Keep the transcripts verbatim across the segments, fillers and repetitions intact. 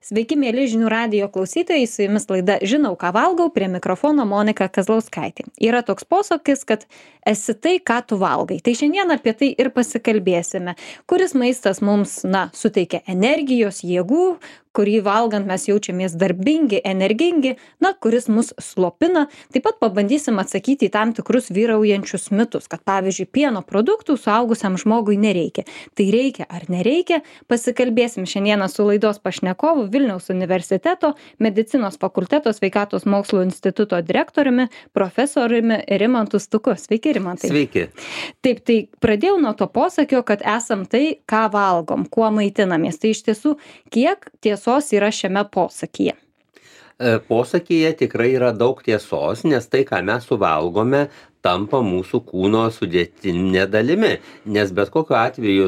Sveiki, mėly žinių radijo klausytojai, su jumis laida Žinau, ką valgau, prie mikrofono Monika Kazlauskaitė. Yra toks posakis, kad esi tai, ką tu valgai. Tai šiandien apie tai ir pasikalbėsime. Kuris maistas mums, na, suteikia energijos, jėgų, kurį valgant mes jaučiamės darbingi, energingi, na, kuris mus slopina. Taip pat pabandysim atsakyti į tam tikrus vyraujančius mitus, kad pavyzdžiui, pieno produktų suaugusiam žmogui nereikia. Tai reikia ar nereikia? Pasikalbėsim šiandieną su laidos pašnekovu Vilniaus universiteto medicinos fakulteto sveikatos mokslų instituto direktoriumi, profesoriumi Rimantu Stuku. Sveiki, Rimantai. Sveiki. Taip, tai pradėjau nuo to posakio, kad esam tai, ką valgom, kuo maitinamės. Tai iš tiesų, kiek tiesos yra šiame posakyje? Posakyje tikrai yra daug tiesos, nes tai, ką mes suvalgome, tampa mūsų kūno sudėtinė dalimi, nes bet kokiu atveju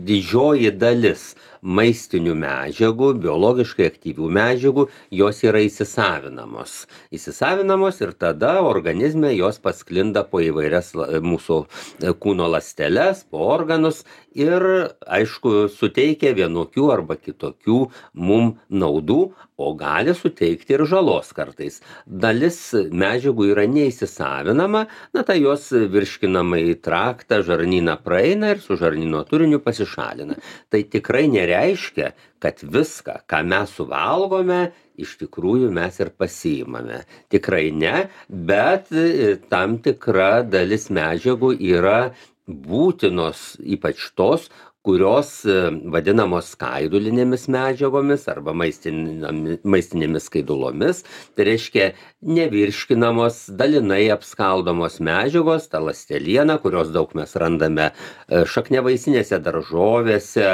didžioji dalis maistinių medžiagų, biologiškai aktyvių medžiagų, jos yra įsisavinamos. Įsisavinamos ir tada organizme jos pasklinda po įvairias mūsų kūno ląsteles, po organus ir, aišku, suteikia vienokių arba kitokių mum naudų, o gali suteikti ir žalos kartais. Dalis medžiagų yra neįsisavinama, na tai jos virškinamąjį traktą, žarnyną praeina ir su žarnyno turiniu pasišalina. Tai tikrai nereiškia, kad viską, ką mes suvalgome, iš tikrųjų mes ir pasiimame. Tikrai ne, bet tam tikra dalis medžiagų yra būtinos, ypač tos, kurios vadinamos skaidulinėmis medžiagomis arba maistinėmis skaidulomis. Tai reiškia nevirškinamos, dalinai apskaldomos medžiagos, ta ląsteliena, kurios daug mes randame šakniavaisinėse daržovėse,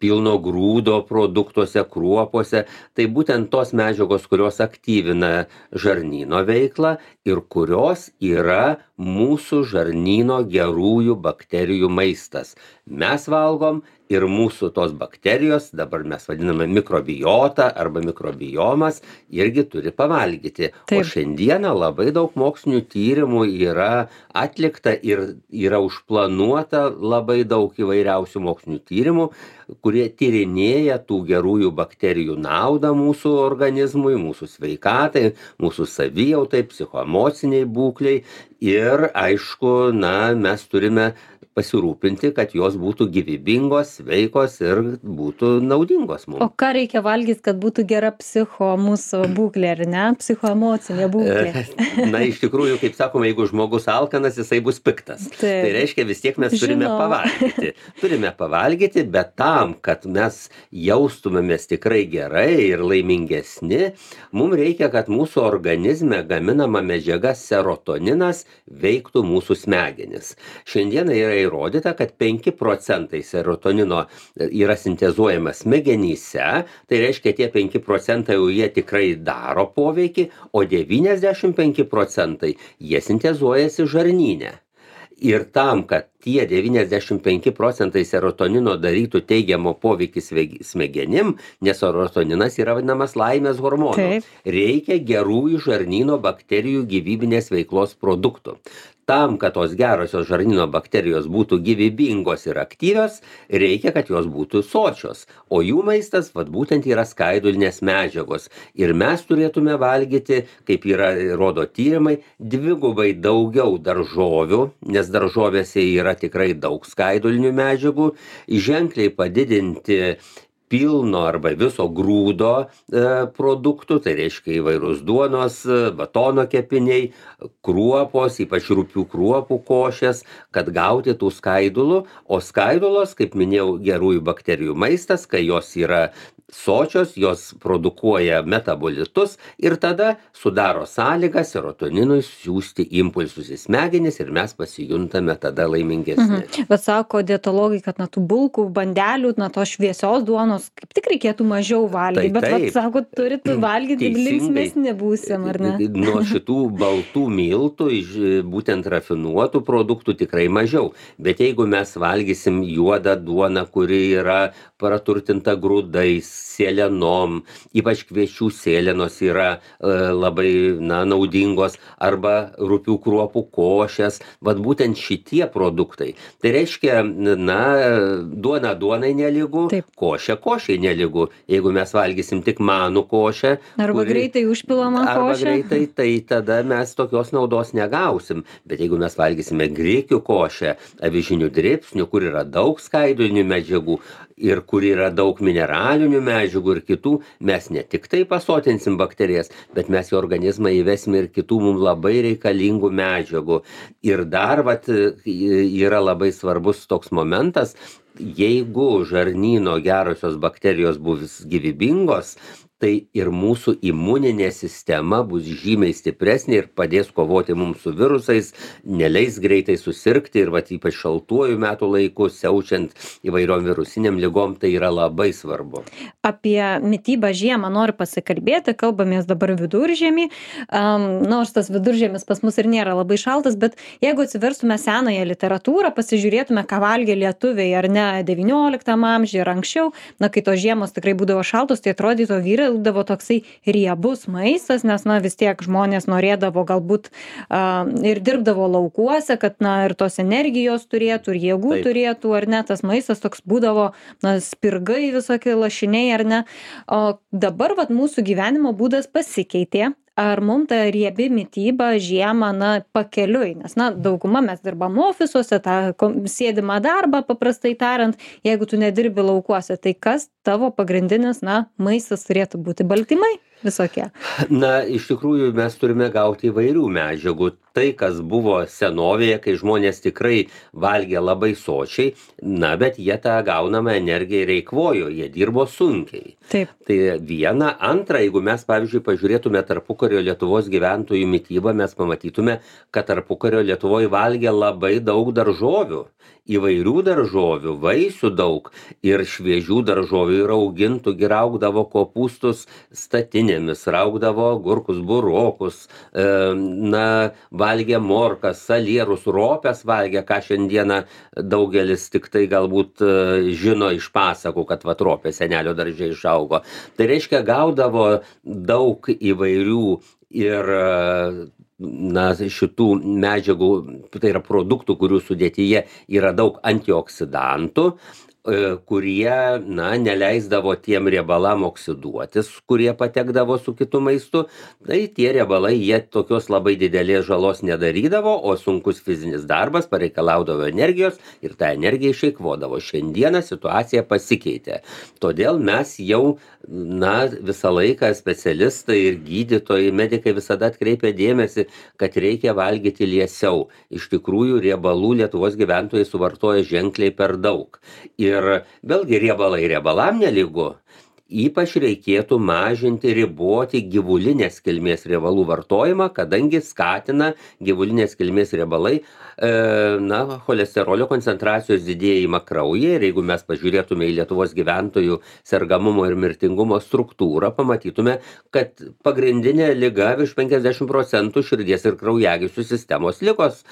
pilno grūdo produktuose, kruopose. Tai būtent tos medžiagos, kurios aktyvina žarnyno veiklą ir kurios yra mūsų žarnyno gerųjų bakterijų maistas. Mes valgom ir mūsų tos bakterijos, dabar mes vadiname mikrobiota arba mikrobiomas, irgi turi pavalgyti. Taip. O šiandieną labai daug mokslinių tyrimų yra atlikta ir yra užplanuota labai daug įvairiausių mokslinių tyrimų, kurie tyrinėja tų gerųjų bakterijų naudą mūsų organizmui, mūsų sveikatai, mūsų savijautai, psichoemociniai būkliai ir, aišku, na, mes turime pasirūpinti, kad jos būtų gyvybingos, sveikos ir būtų naudingos mums. O ką reikia valgyti, kad būtų gera psicho mūsų būklė, ar ne? Psichoemocinė būklė. Na, iš tikrųjų, kaip sakoma, jeigu žmogus alkanas, jisai bus piktas. Taip. Tai reiškia, vis tiek mes turime Žinau. pavalgyti. Turime pavalgyti, bet tam, kad mes jaustumėmės tikrai gerai ir laimingesni, mums reikia, kad mūsų organizme gaminama medžiaga serotoninas veiktų mūsų smegenis. Šiandieną yra įrodyta, kad penki procentai serotonino yra sintezuojama smegenyse, tai reiškia, tie penki procentai jau jie tikrai daro poveikį, o devyniasdešimt penki procentai jie sintezuojasi žarnyne. Ir tam, kad tie devyniasdešimt penki procentai serotonino darytų teigiamo poveikį smegenim, nes serotoninas yra vadinamas laimės hormonu, Taip. reikia gerųjų žarnyno bakterijų gyvybinės veiklos produktų. Tam, kad tos gerosios žarnyno bakterijos būtų gyvybingos ir aktyvios, reikia, kad jos būtų sočios. O jų maistas, vat, būtent yra skaidulinės medžiagos. Ir mes turėtume valgyti, kaip yra, rodo tyrimai, dvigubai daugiau daržovių, nes daržovėse yra tikrai daug skaidulinių medžiagų, ženkliai padidinti pilno arba viso grūdo e, produktų, tai reiškia įvairūs duonos, batono kepiniai, kruopos, ypač rupių kruopų košės, kad gauti tų skaidulų, o skaidulos, kaip minėjau, gerųjų bakterijų maistas, kai jos yra sočios, jos produkuoja metabolitus ir tada sudaro sąlygą serotoninui siųsti impulsus į smegenis ir mes pasijuntame tada laimingesni. Mhm. Bet sako dietologai, kad na tų bulkų, bandelių, na tos šviesios duonos kaip tik reikėtų mažiau valgyti, tai, bet vat, sako, turit valgyti, linksmesni būsim, ar ne? Nuo šitų baltų miltų, būtent rafinuotų produktų tikrai mažiau, bet jeigu mes valgysim juodą duoną, kuri yra praturtinta grūdais, sėlenom, ypač kviečių sėlenos yra e, labai na, naudingos, arba rupių kruopų košės, vat būtent šitie produktai. Tai reiškia, na, duona duonai nelygu, Taip. košė košė nelygu. Jeigu mes valgysim tik manų košę, Arba kuri- greitai užpilama arba košė. greitai, tai tada mes tokios naudos negausim. Bet jeigu mes valgysime grikių košę, avižinių drėpsnių, kur yra daug skaidulinių medžiagų ir kur yra daug mineralinių medžiagų ir kitų, mes ne tik tai pasotinsim bakterijas, bet mes į organizmą įvesime ir kitų mums labai reikalingų medžiagų. Ir dar vat, yra labai svarbus toks momentas, jeigu žarnyno gerosios bakterijos bus gyvybingos, tai ir mūsų imuninė sistema bus žymiai stipresnė ir padės kovoti mums su virusais, neleis greitai susirgti ir vat ypač šaltuoju metų laiku, siaučiant įvairiom virusiniam ligom, tai yra labai svarbu. Apie mitybą žiemą noriu pasikalbėti, kalbamės dabar viduržiemį, um, nors tas viduržiemis pas mus ir nėra labai šaltas, bet jeigu atsiverstume senąją literatūrą, pasižiūrėtume, ką valgė lietuviai ar ne devynioliktam amžiuje ir anksčiau, na, kai tos žiemos tikrai būdavo šaltos, tai atrodytų vyraudavo toksai riebus maistas, nes, na, vis tiek žmonės norėdavo galbūt uh, ir dirbdavo laukuose, kad, na, ir tos energijos turėtų, ir jėgų Taip. turėtų, ar ne, tas maistas toks būdavo, na, spirgai visokie lašiniai, ar ne. O dabar, vat, mūsų gyvenimo būdas pasikeitė. Ar mums ta riebi mityba žiemą, na, pakeliui, nes, na, dauguma mes dirbam ofisuose, tą kom- sėdimą darbą, paprastai tariant, jeigu tu nedirbi laukuose, tai kas tavo pagrindinis, na, maistas turėtų būti? Baltymai visokie. Na, iš tikrųjų mes turime gauti įvairių medžiagų. Tai, kas buvo senovėje, kai žmonės tikrai valgė labai sočiai, na, bet jie tą gaunamą energiją ir eikvojo, jie dirbo sunkiai. Taip. Tai viena, antra, jeigu mes, pavyzdžiui, pažiūrėtume tarpukario Lietuvos gyventojų mitybą, mes pamatytume, kad tarpukario Lietuvoje valgė labai daug daržovių. Įvairių daržovių, vaisių daug ir šviežių daržovių ir augintų, gi raugdavo kopūstus statinėmis, raugdavo gurkus, burokus, e, na, valgė morkas, salierus, ropes valgė, ką šiandieną daugelis tik tai galbūt e, žino iš pasakų, kad vat ropė senelio darže išaugo. Tai reiškia, gaudavo daug įvairių ir e, na, šitų medžiagų, tai yra produktų, kurių sudėtyje yra daug antioksidantų, e, kurie, na, neleisdavo tiem riebalam oksiduotis, kurie patekdavo su kitu maistu. Tai tie riebalai, jie tokios labai didelės žalos nedarydavo, o sunkus fizinis darbas pareikalaudavo energijos ir tą energiją išeikvodavo. Šiandieną situacija pasikeitė. Todėl mes jau, na, visą laiką specialistai ir gydytojai, medikai visada atkreipia dėmesį, kad reikia valgyti liesiau. Iš tikrųjų, riebalų Lietuvos gyventojai suvartoja ženkliai per daug. Ir vėlgi riebalai riebalam nelygu. Ypač reikėtų mažinti, riboti gyvulinės kilmės riebalų vartojimą, kadangi skatina gyvulinės kilmės riebalai e, na, cholesterolio koncentracijos didėjimą kraujyje. Ir jeigu mes pažiūrėtume į Lietuvos gyventojų sergamumo ir mirtingumo struktūrą, pamatytume, kad pagrindinė liga virš penkiasdešimt procentų širdies ir kraujagyslių sistemos ligos,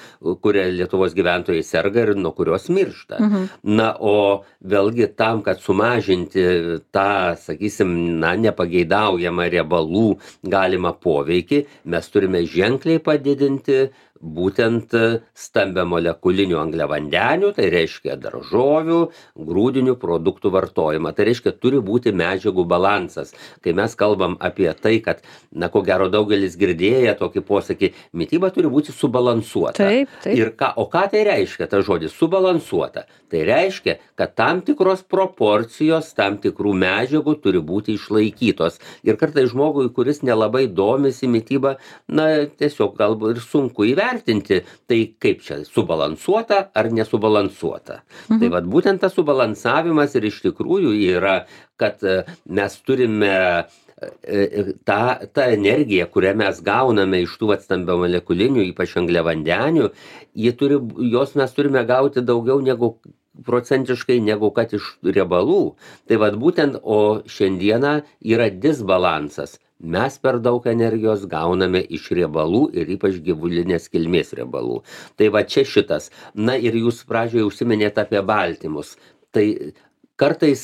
kuria Lietuvos gyventojai serga ir nuo kurios miršta. Mhm. Na, o vėlgi tam, kad sumažinti tą, sakysim, na, nepageidaujamą riebalų galimą poveikį, mes turime ženkliai padidinti būtent stambiamolekulinių angliavandenių, tai reiškia daržovių, grūdinių produktų vartojimą. Tai reiškia, turi būti medžiagų balansas. Kai mes kalbam apie tai, kad, na, ko gero daugelis girdėję tokį posakį, mityba turi būti subalansuota. Taip, taip. Ir ką, o ką tai reiškia, tas žodis subalansuota? Tai reiškia, kad tam tikros proporcijos, tam tikrų medžiagų turi būti išlaikytos. Ir kartais žmogui, kuris nelabai domisi mitybą, na, tiesiog galbūt ir sunku įvertinti, tai kaip čia, subalansuota ar nesubalansuota. Mhm. Tai vat būtent tas subalansavimas ir iš tikrųjų yra, kad e, mes turime e, tą, tą energiją, kurią mes gauname iš tų vat stambiamolekulinių, ypač angliavandenių, jie turi, jos mes turime gauti daugiau negu procentiškai negu kad iš riebalų. Tai vat būtent, o šiandieną yra disbalansas. Mes per daug energijos gauname iš riebalų ir ypač gyvulinės kilmės riebalų. Tai va čia šitas. Na ir jūs pradžioje užsiminėte apie baltymus. Tai kartais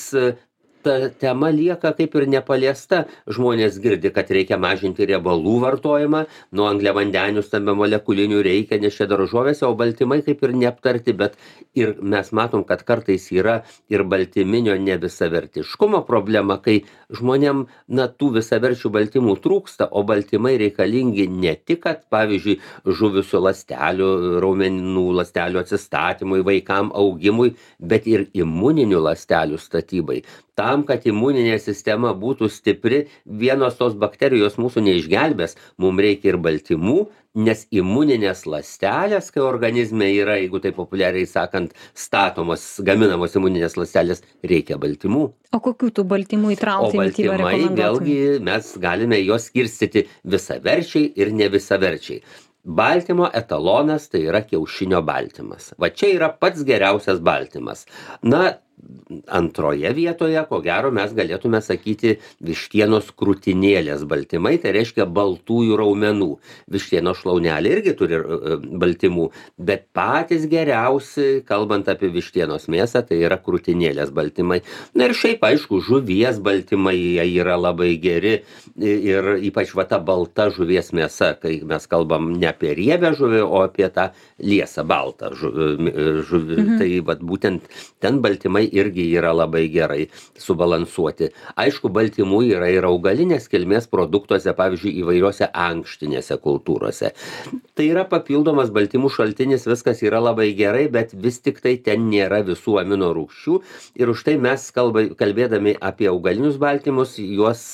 ta tema lieka kaip ir nepaliesta. Žmonės girdi, kad reikia mažinti riebalų vartojimą, nuo angliavandenių stambiamolekulinių reikia, nes čia daržovėse, o baltymai kaip ir neaptarti, bet ir mes matom, kad kartais yra ir baltyminio nevisavertiškumo problema, kai žmonėm, na, tų visaverčių baltymų trūksta, o baltymai reikalingi ne tik, kad, pavyzdžiui, žuvusių ląstelių, raumenų ląstelių atsistatymui, vaikam augimui, bet ir imuninių ląstelių statybai. Tam, kad imuninė sistema būtų stipri, vienos tos bakterijos mūsų neišgelbės, mums reikia ir baltymų, nes imuninės ląstelės, kai organizme yra, jeigu tai populiariai sakant, statomos, gaminamos imuninės ląstelės, reikia baltymų. O kokių tų baltymų įtraukti į mitybą rekomenduotumai? O baltymai, vėlgi, mes galime juos skirstyti visaverčiai ir nevisaverčiai. Baltymo etalonas tai yra kiaušinio baltymas. Va čia yra pats geriausias baltymas. Na, antroje vietoje, ko gero, mes galėtume sakyti vištienos krūtinėlės baltymai, tai reiškia baltųjų raumenų. Vištienos šlaunelė irgi turi baltymų, bet patys geriausi, kalbant apie vištienos mėsą, tai yra krūtinėlės baltymai. Na ir šiaip, aišku, žuvies baltymai jie yra labai geri ir ypač va ta balta žuvies mėsa, kai mes kalbam ne apie riebę žuvį, o apie tą liesą baltą žuvį. Mhm. Tai va būtent ten baltymai irgi yra labai gerai subalansuoti. Aišku, baltymų yra ir augalinės kilmės produktuose, pavyzdžiui, įvairiuose ankštinėse kultūrose. Tai yra papildomas baltymų šaltinis, viskas yra labai gerai, bet vis tik tai ten nėra visų amino rūgščių ir už tai mes kalba, kalbėdami apie augalinius baltymus, juos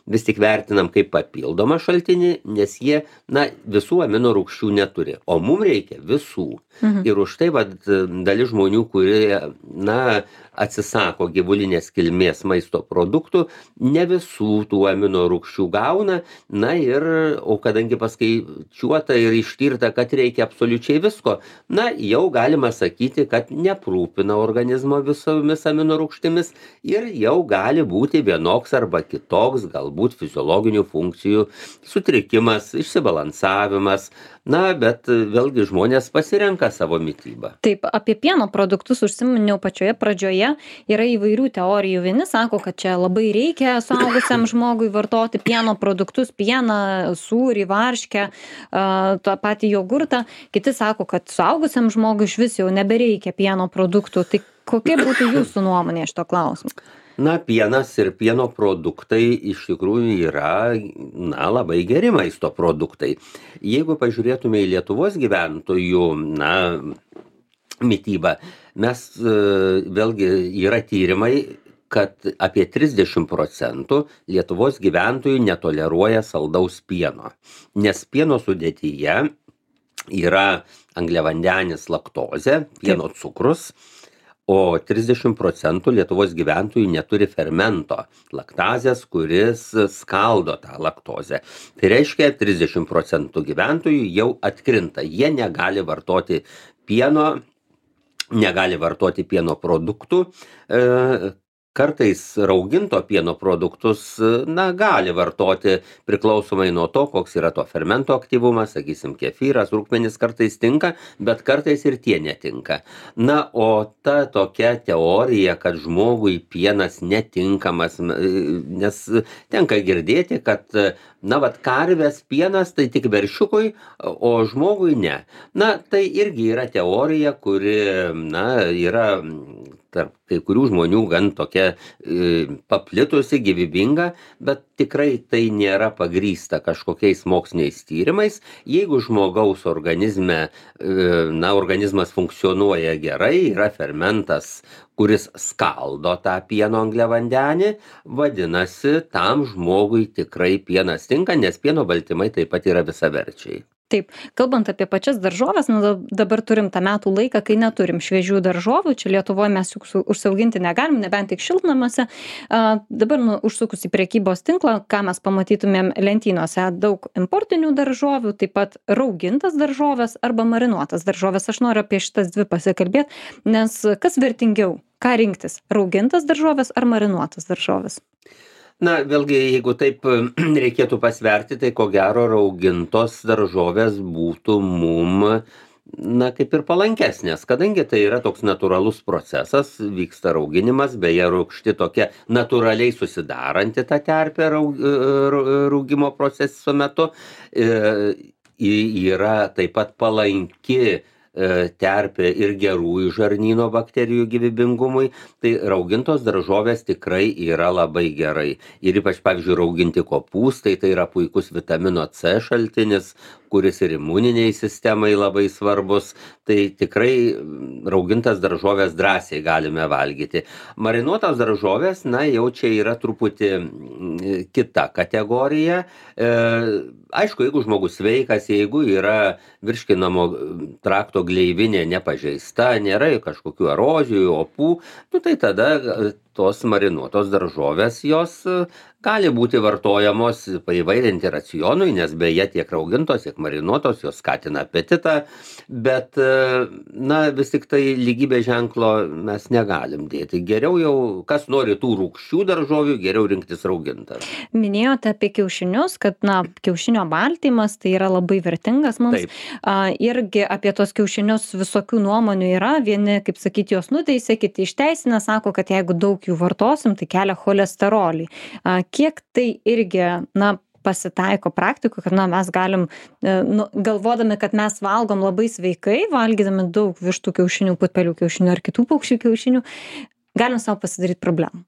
vis tik vertinam kaip papildomą šaltinį, nes jie, na, visų amino rūgščių neturi, o mums reikia visų. Mhm. Ir už tai, va, dalis žmonių, kurie, na, atsisako gyvulinės kilmės maisto produktų, ne visų tų amino rūgščių gauna, na ir, o kadangi paskaičiuota ir ištirta, kad reikia absoliučiai visko, na, jau galima sakyti, kad neprūpina organizmo visomis amino rūgštimis ir jau gali būti vienoks arba kitoks, galbūt fiziologinių funkcijų sutrikimas, išsibalansavimas, na, bet vėlgi žmonės pasirenka savo mitybą. Taip, apie pieno produktus užsiminiau pačioje pradžioje. Yra įvairių teorijų. Vieni sako, kad čia labai reikia suaugusiam žmogui vartoti pieno produktus, pieną, sūrį, varškę, tą patį jogurtą. Kiti sako, kad suaugusiam žmogui iš vis jau nebereikia pieno produktų. Tai kokia būtų jūsų nuomonė šito klausimu? Na, pienas ir pieno produktai iš tikrųjų yra, na, labai geri maisto produktai. Jeigu pažiūrėtume į Lietuvos gyventojų, na, mitybą, mes vėlgi yra tyrimai, kad apie trisdešimt procentų Lietuvos gyventojų netoleruoja saldaus pieno, nes pieno sudėtyje yra angliavandenis laktozė, pieno cukrus, o trisdešimt procentų Lietuvos gyventojų neturi fermento laktazės, kuris skaldo tą laktozę. Tai reiškia, trisdešimt procentų gyventojų jau atkrinta, jie negali vartoti pieno, negali vartoti pieno produktų, kartais rauginto pieno produktus, na, gali vartoti priklausomai nuo to, koks yra to fermento aktyvumas, sakysim, kefyras, rūgmenis kartais tinka, bet kartais ir tie netinka. Na, o ta tokia teorija, kad žmogui pienas netinkamas, nes tenka girdėti, kad, na, vat karvės pienas tai tik veršiukui, o žmogui ne. Na, tai irgi yra teorija, kuri, na, yra tarp kai kurių žmonių gan tokia e, paplitusi, gyvybinga, bet tikrai tai nėra pagrįsta kažkokiais moksliniais tyrimais. Jeigu žmogaus organizme, e, na, organizmas funkcionuoja gerai, yra fermentas, kuris skaldo tą pieno angliavandenį, vadinasi, tam žmogui tikrai pienas tinka, nes pieno baltymai taip pat yra visaverčiai. Taip, kalbant apie pačias daržoves, nu, dabar turim tą metų laiką, kai neturim šviežių daržovių, čia Lietuvoje mes juk užsiauginti negalim, nebent tik šiltnamiuose. Dabar nu, užsukus į prekybos tinklą, ką mes pamatytumėm lentynose, daug importinių daržovių, taip pat raugintas daržovės arba marinuotas daržovės. Aš noriu apie šitas dvi pasikalbėti, nes kas vertingiau, ką rinktis, raugintas daržovės ar marinuotas daržovės? Na, vėlgi, jeigu taip reikėtų pasverti, tai ko gero raugintos daržovės būtų mum, na, kaip ir palankesnės, kadangi tai yra toks natūralus procesas, vyksta rauginimas, beje, rūgšti tokia natūraliai susidaranti tą terpę raug, rūgimo proceso metu, e, yra taip pat palanki terpė ir gerųjų žarnyno bakterijų gyvybingumui, tai raugintos daržovės tikrai yra labai gerai. Ir ypač, pavyzdžiui, rauginti kopūstai, tai yra puikus vitamino C šaltinis, kuris ir imuniniai sistemai labai svarbus, tai tikrai raugintas daržovės drąsiai galime valgyti. Marinuotos daržovės, na, jau čia yra truputį kita kategorija. E, aišku, jeigu žmogus sveikas, jeigu yra virškinamo trakto gleivinė nepažeista, nėra kažkokių erozijų, opų, nu, tai tada tos marinuotos daržovės jos gali būti vartojamos paįvairinti racionui, nes beje tiek raugintos, tiek marinuotos, jos skatina apetitą, bet, na, vis tik tai lygybės ženklo mes negalim dėti. Geriau jau, kas nori tų rūgščių daržovių, geriau rinktis raugintas. Minėjote apie kiaušinius, kad, na, kiaušinio baltymas tai yra labai vertingas mums. Taip. A, irgi apie tos kiaušinius visokių nuomonių yra. Vieni, kaip sakyti, jos nuteisė, kiti išteisina, sako, kad jeigu daug jų vartosim, tai kelia cholesterolį. A, kiek tai irgi, na, pasitaiko praktikų, kad, na, mes galim, nu, galvodami, kad mes valgom labai sveikai, valgydami daug vištų kiaušinių, putpelių kiaušinių ar kitų paukščių kiaušinių, galim savo pasidaryti problemų.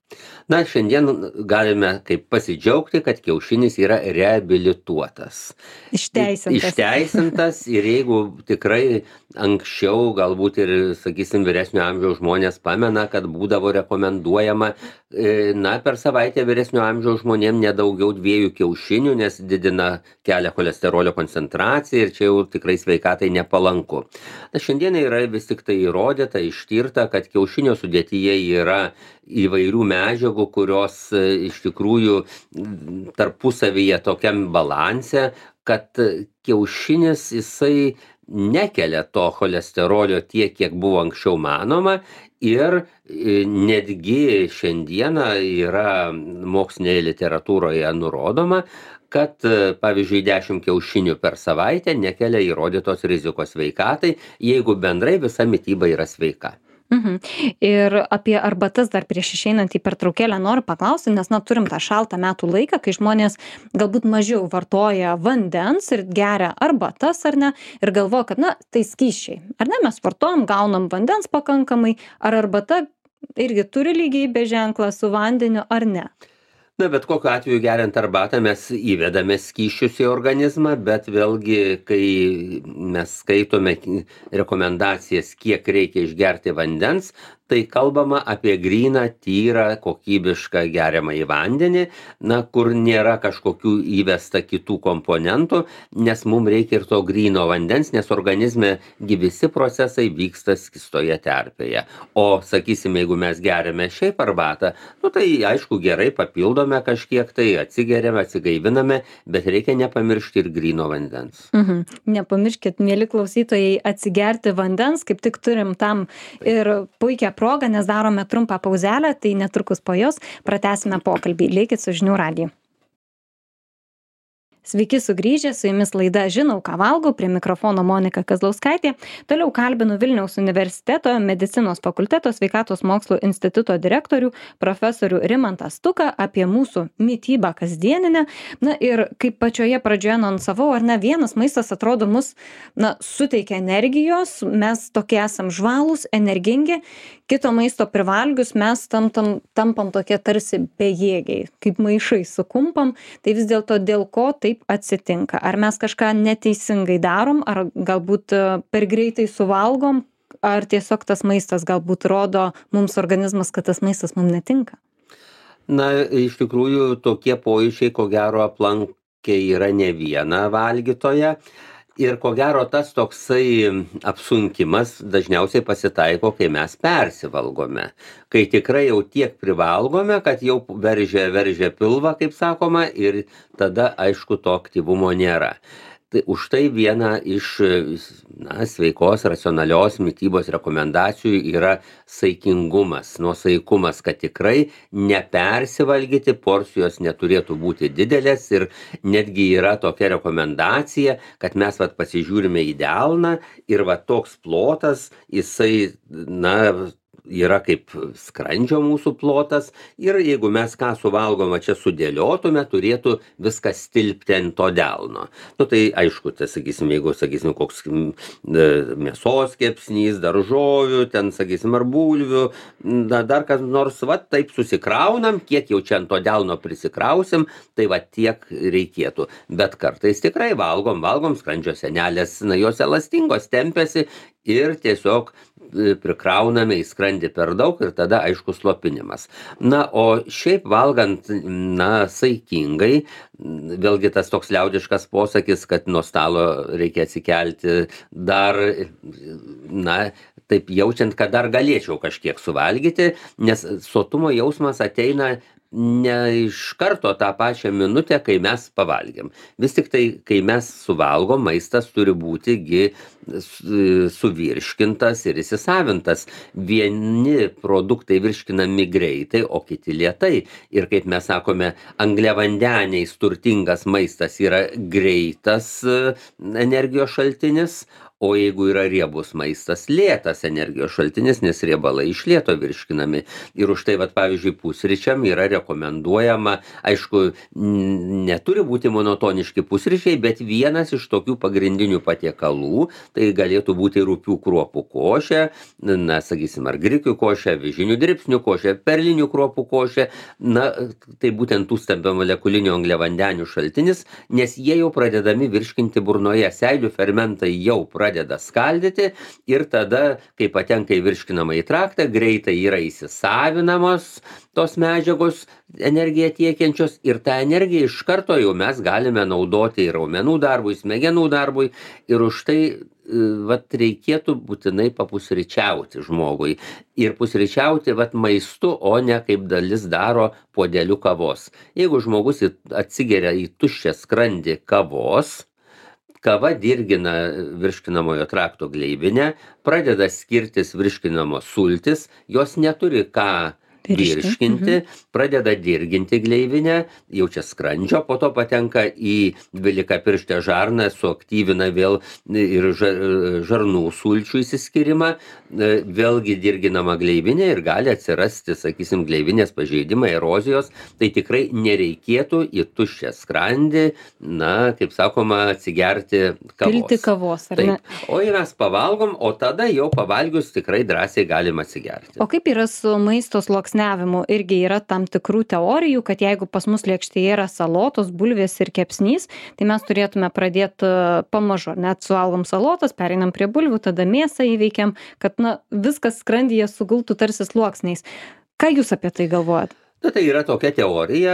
Na, šiandien galime kaip pasidžiaugti, kad kiaušinis yra reabilituotas. Išteisintas. Išteisintas ir jeigu tikrai anksčiau, galbūt ir, sakysim, vyresnio amžiaus žmonės pamena, kad būdavo rekomenduojama, na, per savaitę vyresnio amžiaus žmonėm nedaugiau dviejų kiaušinių, nes didina kelia cholesterolio koncentraciją ir čia jau tikrai sveikatai nepalanku. Na, šiandien yra vis tik tai įrodyta, ištirta, kad kiaušinio sudėtyje yra įvairių medžiagų, kurios iš tikrųjų tarpusavyje tokiam balanse, kad kiaušinis jisai nekelia to cholesterolio tiek, kiek buvo anksčiau manoma ir netgi šiandieną yra mokslinėje literatūroje nurodoma, kad, pavyzdžiui, dešimt kiaušinių per savaitę nekelia įrodytos rizikos sveikatai, jeigu bendrai visa mityba yra sveika. Mhm. Ir apie arbatas dar prieš išeinant į pertraukėlę noriu paklausti, nes, na, turim tą šaltą metų laiką, kai žmonės galbūt mažiau vartoja vandens ir geria arbatas, ar ne, ir galvoja, kad, na, tai skysčiai. Ar ne, mes vartojam, gaunam vandens pakankamai, ar arbata irgi turi lygybės ženklą su vandeniu, ar ne? Na, bet kokiu atveju geriant arbatą mes įvedame skysčius į organizmą, bet vėlgi, kai mes skaitome rekomendacijas, kiek reikia išgerti vandens, tai kalbama apie gryną, tyrą, kokybišką geriamąjį vandenį, na, kur nėra kažkokių įvesta kitų komponentų, nes mums reikia ir to gryno vandens, nes organizme visi procesai vyksta skystoje terpėje. O, sakysim, jeigu mes geriame šiaip arbatą, nu, tai aišku gerai papildome kažkiek, tai atsigeriame, atsigaiviname, bet reikia nepamiršti ir gryno vandens. Mhm. Nepamirškit, mėly klausytojai, atsigerti vandens, kaip tik turim tam ir puikią progą, nes darome trumpą pauzelę, tai netrukus po jos pratęsime pokalbį. Likit su Žinių radiju. Sveiki sugrįžę, su jumis laida Žinau, ką valgau, prie mikrofono Monika Kazlauskaitė. Toliau kalbinu Vilniaus universiteto medicinos fakulteto sveikatos mokslų instituto direktorių profesorių Rimantą Stuką apie mūsų mitybą kasdieninę. Na ir kaip pačioje pradžioje anonsavau, ar ne, vienas maistas atrodo mus, na, suteikia energijos, mes tokie esam žvalūs, energingi, kito maisto privalgius mes tampam, tampam tokie tarsi bejėgiai, kaip maišai sukumpam, tai vis dėlto dėl ko taip atsitinka? Ar mes kažką neteisingai darom, ar galbūt per greitai suvalgom, ar tiesiog tas maistas galbūt rodo mums organizmas, kad tas maistas mums netinka? Na, iš tikrųjų, tokie pojūčiai, ko gero, aplankė yra ne vieną valgytoją. Ir ko gero tas toksai apsunkimas dažniausiai pasitaiko, kai mes persivalgome. Kai tikrai jau tiek privalgome, kad jau veržia, veržia pilvą, kaip sakoma, ir tada, aišku, to aktyvumo nėra. Tai už tai viena iš na, sveikos, racionalios mitybos rekomendacijų yra saikingumas, nuosaikumas, kad tikrai nepersivalgyti, porcijos neturėtų būti didelės ir netgi yra tokia rekomendacija, kad mes vat, pasižiūrime į delną ir va toks plotas, jisai, na, yra kaip skrandžio mūsų plotas ir jeigu mes ką suvalgom, čia sudėliotume, turėtų viskas tilpti ant to delno. Nu tai aišku, tai sakysim, jeigu, sakysim, koks mėsos kepsnys, daržovių, ten, sakysim, ar bulvių, da, dar kas nors, va, taip susikraunam, kiek jau čia ant to delno prisikrausim, tai va tiek reikėtų. Bet kartais tikrai valgom, valgom skrandžio sienelės, na, jos elastingos tempiasi ir tiesiog prikrauname į skrandį per daug ir tada aišku slopinimas. Na, o šiaip valgant, na, saikingai, vėlgi tas toks liaudiškas posakis, kad nuo stalo reikia atsikelti dar, na, taip jaučiant, kad dar galėčiau kažkiek suvalgyti, nes sotumo jausmas ateina ne iš karto tą pačią minutę, kai mes pavalgėm. Vis tik tai, kai mes suvalgom, maistas turi būti gi suvirškintas ir įsisavintas. Vieni produktai virškinami greitai, o kiti lėtai. Ir kaip mes sakome, angliavandeniais turtingas maistas yra greitas energijos šaltinis, o jeigu yra riebus maistas, lėtas energijos šaltinis, nes riebalai iš lėto virškinami. Ir už tai, vat, pavyzdžiui, pusryčiam yra rekomenduojama, aišku, neturi būti monotoniški pusryčiai, bet vienas iš tokių pagrindinių patiekalų, tai galėtų būti rupių kruopų košė, na, sakysim, ar grikių košė, avižinių dribsnių košė, perlinių kruopų košė, na, tai būtent tų stambiamolekulinių angliavandenių šaltinis, nes jie jau pradedami virškinti burnoje, seilių fermentai jau pradeda pradeda skaldyti ir tada, kai patenka į virškinamąjį traktą, greitai yra įsisavinamos tos medžiagos energiją tiekiančios ir tą energiją iš karto jau mes galime naudoti ir raumenų darbui, smegenų darbui ir už tai vat, reikėtų būtinai papusryčiauti žmogui. Ir pusryčiauti vat, maistu, o ne kaip dalis daro puodeliu kavos. Jeigu žmogus atsigeria į tuščią skrandį kavos, kava dirgina virškinamojo trakto gleivinę, pradeda skirtis virškinamos sultys, jos neturi ką virškinti, pradeda dirginti gleivinę, jau čia skrandžio, po to patenka į dvylikapirštę žarną, suaktyvina vėl ir žarnų sulčių įsiskyrimą, vėlgi dirginama gleivinė ir gali atsirasti, sakysim, gleivinės pažeidimai, erozijos, tai tikrai nereikėtų į tuščią skrandį, na, kaip sakoma, atsigerti kavos. Pilti kavos, ar ne? Taip. O jei mes pavalgom, o tada jau pavalgius tikrai drąsiai galim atsigerti. O kaip yra su maisto sluoksniavimu? Irgi yra tam tikrų teorijų, kad jeigu pas mus lėkštėje yra salotos, bulvės ir kepsnys, tai mes turėtume pradėti pamažu. Net suvalgom salotas, pereinam prie bulvių, tada mėsą įveikiam, kad na, viskas skrandyje sugultų tarsi sluoksniais. Ką jūs apie tai galvojat? Na, tai yra tokia teorija,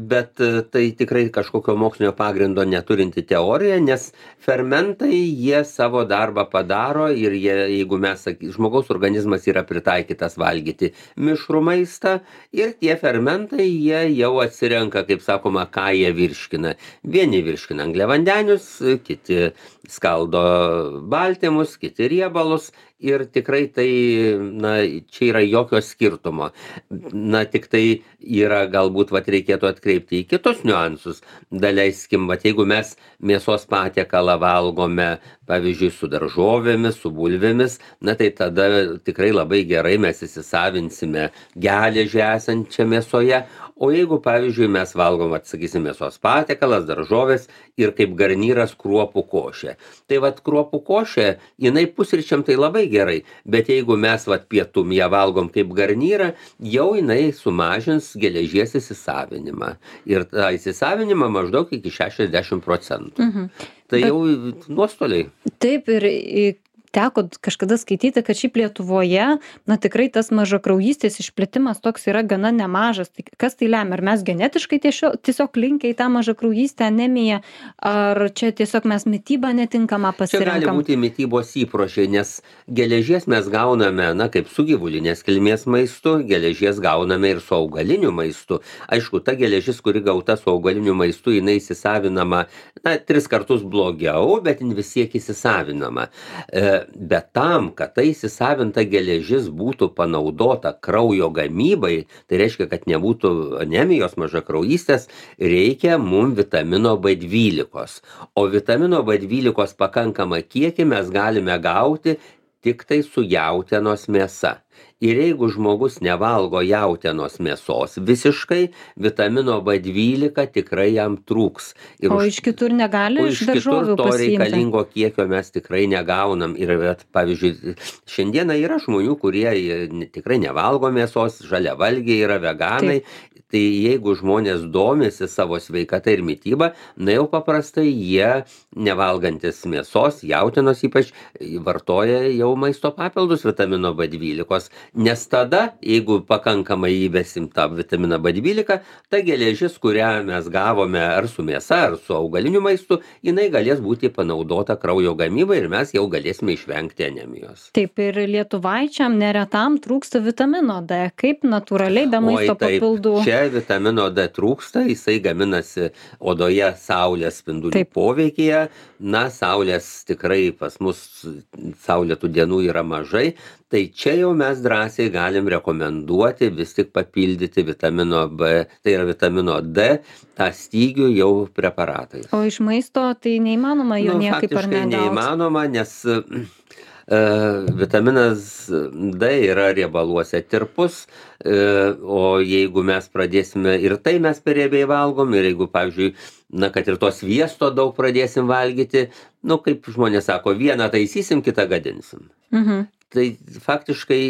bet tai tikrai kažkokio mokslinio pagrindo neturinti teorija, nes fermentai jie savo darbą padaro ir jie, jeigu mes, žmogaus organizmas yra pritaikytas valgyti mišrų maistą ir tie fermentai jie jau atsirenka, kaip sakoma, ką jie virškina. Vieni virškina angliavandenius, kiti skaldo baltymus, kiti riebalus. Ir tikrai tai, na, čia yra jokio skirtumo. Na, tik tai yra, galbūt, vat, reikėtų atkreipti į kitus niuansus. Daleiskim, vat, jeigu mes mėsos patiekalą valgome, pavyzdžiui, su daržovėmis, su bulvėmis, na, tai tada tikrai labai gerai mes įsisavinsime geležį esančią mėsoje. O jeigu, pavyzdžiui, mes valgom, atsakysim, mėsos patiekalas, daržovės ir kaip garnyras kruopų košė. Tai vat kruopų košė, jinai pusryčiam tai labai gerai, bet jeigu mes vat pietum ją valgom kaip garnyrą, jau jinai sumažins geležies įsisavinimą. Ir tą įsisavinimą maždaug iki šešiasdešimt procentų. Mhm. Tai bet, jau nuostoliai. Taip, ir teko kažkada skaityti, kad šiaip Lietuvoje, na tikrai tas mažakraujystės išplitimas toks yra gana nemažas. Tai kas tai lemia? Ar mes genetiškai tiesiog, tiesiog linkę į tą mažakraujystę, anemiją, ar čia tiesiog mes mitybą netinkamą Čia gali pasirenkam? būti mitybos įpročiai, nes geležies mes gauname, na, kaip su gyvulinės kilmės maistu, geležies gauname ir su augaliniu maistu. Aišku, ta geležis, kuri gauta su augaliniu maistu, jinai įsisavinama, na, tris kartus blogiau, bet jin vis tiek įsisavinama. E, bet tam, kad tai įsisavinta geležis būtų panaudota kraujo gamybai, tai reiškia, kad nebūtų anemijos, mažakraujystės, reikia mum vitamino B dvylikos. O vitamino B dvylikos pakankamą kiekį mes galime gauti tik tai su jautienos mėsa. Ir jeigu žmogus nevalgo jautienos mėsos visiškai, vitamino B dvylika tikrai jam trūks. Ir O už- iš kitur negali O iš iš kitur daržovių to pasiimti? reikalingo kiekio mes tikrai negaunam. Ir, vat, pavyzdžiui, šiandieną yra žmonių, kurie e, ne- tikrai nevalgo mėsos, žaliavalgiai yra veganai. Tai jeigu žmonės domisi savo sveikata ir mytyba, na jau paprastai jie, nevalgantis mėsos, jautienos ypač, vartoja jau maisto papildus vitamino B dvylikos. Nes tada, jeigu pakankamai įvesim tą vitaminą B dvylika, ta geležis, kurią mes gavome ar su mėsa, ar su augaliniu maistu, jinai galės būti panaudota kraujo gamybai ir mes jau galėsime išvengti anemijos. Taip, ir lietuvaičiam neretam trūksta vitamino D. Kaip natūraliai be maisto Oi, taip, papildų? čia vitamino D trūksta, jisai gaminasi odoje saulės spindulių Taip. poveikyje. Na, saulės tikrai pas mus saulėtų dienų yra mažai, tai čia jau mes drąsiai galim rekomenduoti vis tik papildyti vitamino B, tai yra vitamino D, tą stygių jau preparatais. O iš maisto tai neįmanoma jo Nu, niekaip ar faktiškai ne gaut? neįmanoma, nes e, vitaminas D yra riebaluose tirpus, e, o jeigu mes pradėsime ir tai mes per riebiai valgom, ir jeigu, pavyzdžiui, na, kad ir to sviesto daug pradėsim valgyti, nu, kaip žmonės sako, vieną taisysim, kitą gadinsim. Mhm. Tai faktiškai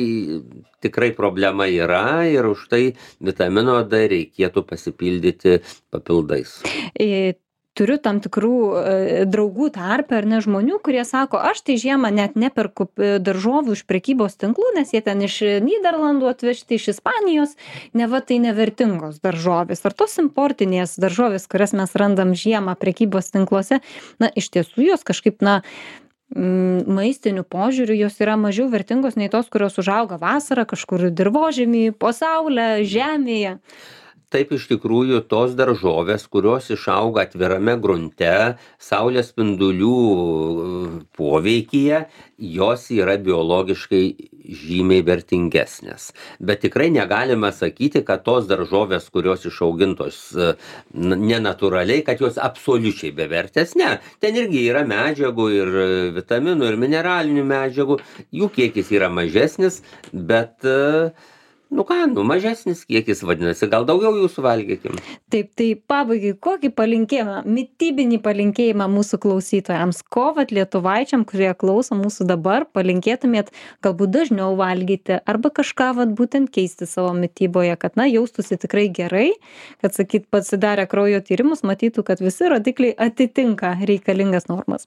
tikrai problema yra ir už tai vitamino D reikėtų pasipildyti papildais. E, Turiu tam tikrų e, draugų tarpe ar ne žmonių, kurie sako, aš tai žiemą net neperku e, daržovių iš prekybos tinklų, nes jie ten iš Nyderlandų atvežti, iš Ispanijos, neva tai nevertingos daržovės. Ar tos importinės daržovės, kurias mes randam žiemą prekybos tinkluose, na, iš tiesų jos kažkaip, na, mm, maistiniu požiūriu jos yra mažiau vertingos nei tos, kurios užauga vasarą kažkur dirvožemy, po saulę, žemėje. Taip, iš tikrųjų, tos daržovės, kurios išauga atvirame grunte, saulės spindulių poveikyje, jos yra biologiškai žymiai vertingesnės. Bet tikrai negalime sakyti, kad tos daržovės, kurios išaugintos e, n- nenatūraliai, kad jos absoliučiai bevertės. Ne, ten irgi yra medžiagų ir e, vitaminų, ir mineralinių medžiagų. Jų kiekis yra mažesnis, bet e, nu ką, nu mažesnis kiekis vadinasi, gal daugiau jų suvalgykim. Taip, tai pabaigai, kokį palinkėjimą, mitybinį palinkėjimą mūsų klausytojams, ko vat lietuvaičiam, kurie klauso mūsų dabar, palinkėtumėt galbūt dažniau valgyti arba kažką vat būtent keisti savo mityboje, kad, na, jaustųsi tikrai gerai, kad, sakyt, pasidarę kraujo tyrimus, matytų, kad visi rodikliai atitinka reikalingas normas.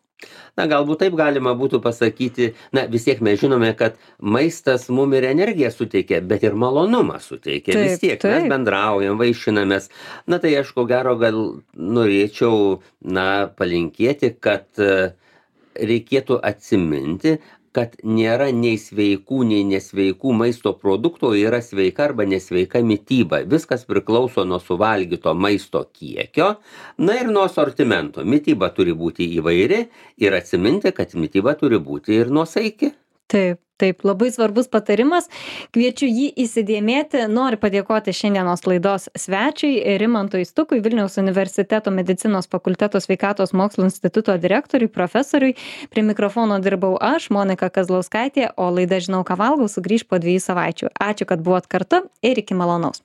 Na, galbūt taip galima būtų pasakyti, na, vis tiek mes žinome, kad maistas mum ir energiją suteikia, bet ir malonumą suteikia. Taip, Vis tiek mes taip. bendraujam, vaišinamės. Na, tai aš ko gero gal norėčiau, na, palinkėti, kad e, reikėtų atsiminti, kad nėra nei sveikų, nei nesveikų maisto produktų, o yra sveika arba nesveika mityba. Viskas priklauso nuo suvalgyto maisto kiekio, na ir nuo asortimento. Mityba turi būti įvairi ir atsiminti, kad mityba turi būti ir nuosaiki. Taip, taip, labai svarbus patarimas. Kviečiu jį įsidėmėti. Noriu padėkoti šiandienos laidos svečiui, Rimantui Stukui, Vilniaus universiteto medicinos fakulteto sveikatos mokslų instituto direktoriui, profesoriui. Prie mikrofono dirbau aš, Monika Kazlauskaitė, o laida Žinau, ką valgau sugrįš po dviejų savaičių. Ačiū, kad buvot kartu ir iki malonaus.